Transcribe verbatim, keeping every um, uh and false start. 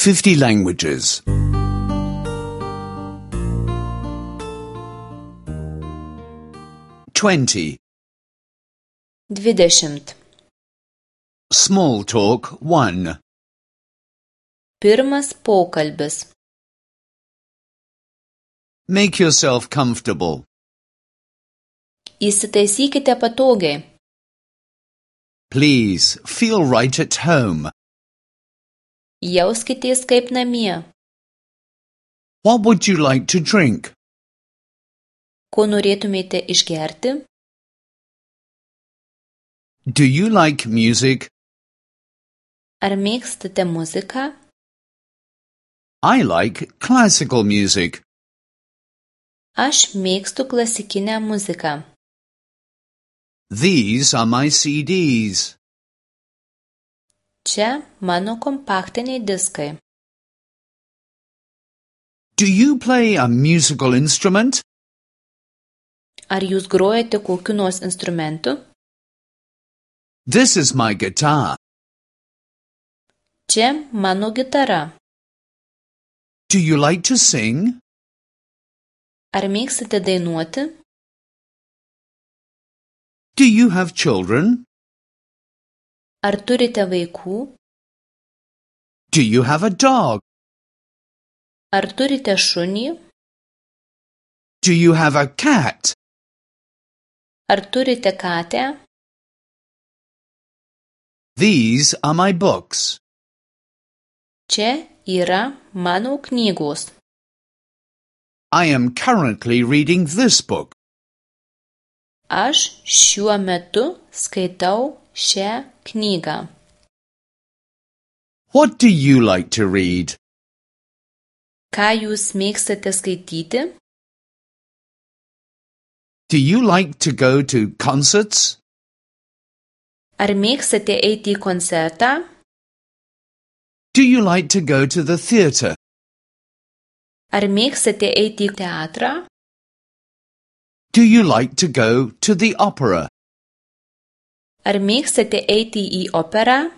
fifty languages. Twenty. Dvidešimt. Small talk one. Pirmas pokalbis. Make yourself comfortable. Įsitaisykite patogiai. Please, feel right at home. Jauskitės kaip namie. What would you like to drink? Ko norėtumėte išgerti? Do you like music? Ar mėgstate muziką? I like classical music. Aš mėgstu klasikinę muziką. These are my C Ds. Čia mano kompaktiniai diskai. Do you play a musical instrument? Ar jūs grojate kokiu nors instrumentu? This is my guitar. Čia mano gitara. Do you like to sing? Ar mėgstate dainuoti? Do you have children? Ar turite vaikų? Do you have a dog? Ar turite šunį? Do you have a cat? Ar turite katę? These are my books. Čia yra mano knygos. I am currently reading this book. Aš šiuo metu skaitau šią knygą. What do you like to read? Ką jūs mėgstate skaityti? Do you like to go to concerts? Ar mėgstate eiti į koncertą? Do you like to go to the theatre? Ar mėgstate eiti į teatrą? Do you like to go to the opera? Ar mėgstate eiti į operą?